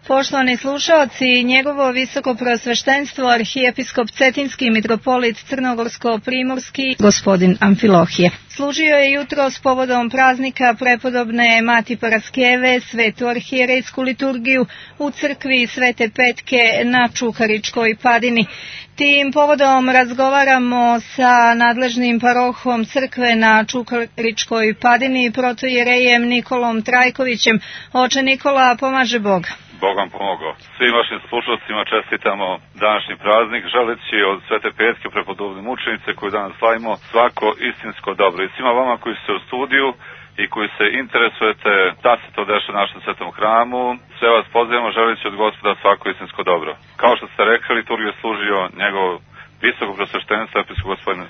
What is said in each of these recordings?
Poštovani slušaoci, njegovo visoko preosveštenstvo arhijepiskop Cetinski mitropolit Crnogorsko-primorski gospodin Amfilohije. Služio je jutros povodom praznika prepodobne Mati Paraskeve svetu arhijerejsku liturgiju u crkvi Svete Petke na Čukaričkoj padini. Tim povodom razgovaramo sa nadležnim parohom crkve na Čukaričkoj padini, protojerejem Nikolom Trajkovićem. Oče Nikola, pomaže Bog. Bog vam pomogao. Svim vašim slušalcima čestitamo današnji praznik, želeći od Svete Petke prepodobne mučenice koju danas slavimo svako istinsko dobro. I svima vama koji ste u studiju i koji se interesujete da se to dešava u našem svetom hramu, sve vas pozivamo želeći od Gospoda svako istinsko dobro. Kao što ste rekli, liturgiju je služio njegov visoko preosveštenstvo episkop gospodin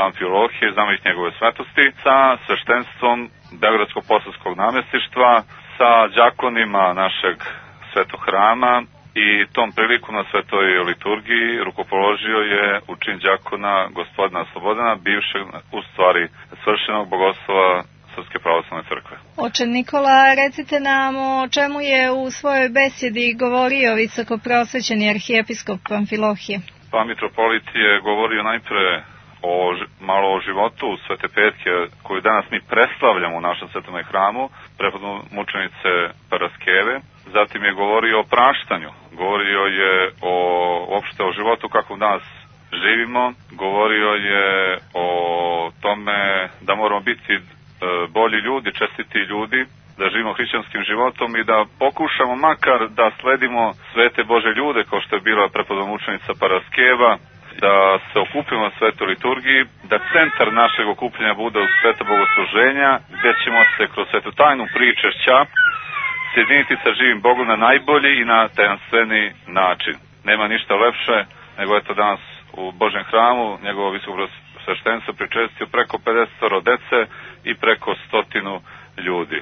Amfilohije, znamenik njegove svetosti, sa sveštenstvom Beogradsko-posavskog namestištva, sa đakonima našeg svetog hrama i tom priliku na svetoj liturgiji rukopoložio je u čin đakona gospodina Slobodana, bivšeg u stvari svršenog bogoslova Srpske pravoslavne crkve. Oče Nikola, recite nam o čemu je u svojoj besjedi govorio visoko preosvećeni arhijepiskop Amfilohije. Pa mitropolit je govorio najpre malo o životu Svete Petke koju danas mi preslavljamo u našem svetom hramu, prepodobne mučenice Paraskeve. Zatim je govorio o praštanju, govorio je uopšte o životu kakvom danas živimo, govorio je o tome da moramo biti bolji ljudi, čestiti ljudi, da živimo hrišćanskim životom i da pokušamo makar da sledimo svete Bože ljude kao što je bila prepodobna mučenica Paraskeva, da se okupimo na svetoj liturgiji, da centar našeg okupljanja bude u sveto bogosluženja, gde ćemo se kroz svetu tajnu pričešća sjediniti sa živim Bogom na najbolji i na tajanstveni način. Nema ništa lepše nego eto danas u Božjem hramu njegovo visoko sveštenstvo pričestio preko 50 dece i preko 100 ljudi.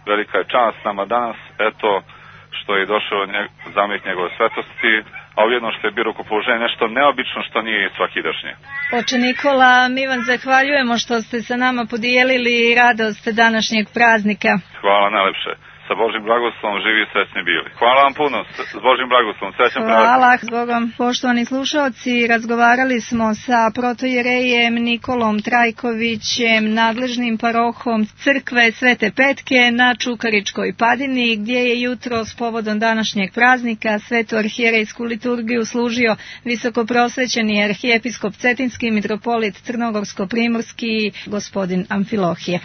Velika je čast nama danas, eto što je došao zamjenik njegove svetosti, a ujedno što je bilo rukopoloženje nešto neobično što nije svakidašnje. Oče Nikola, mi vam zahvaljujemo što ste sa nama podijelili radost današnjeg praznika. Hvala najlepše. Sa Božim blagoslovom živi i srećni bili. Hvala vam puno, s Božim blagoslovom, srećan praznik. Hvala, s Bogom. Poštovani slušalci, razgovarali smo sa protojerejem Nikolom Trajkovićem, nadležnim parohom crkve Svete Petke na Čukaričkoj padini, gdje je jutros povodom današnjeg praznika svetu arhijerejsku liturgiju služio visoko prosvećeni arhijepiskop Cetinski mitropolit Crnogorsko-primorski gospodin Amfilohije.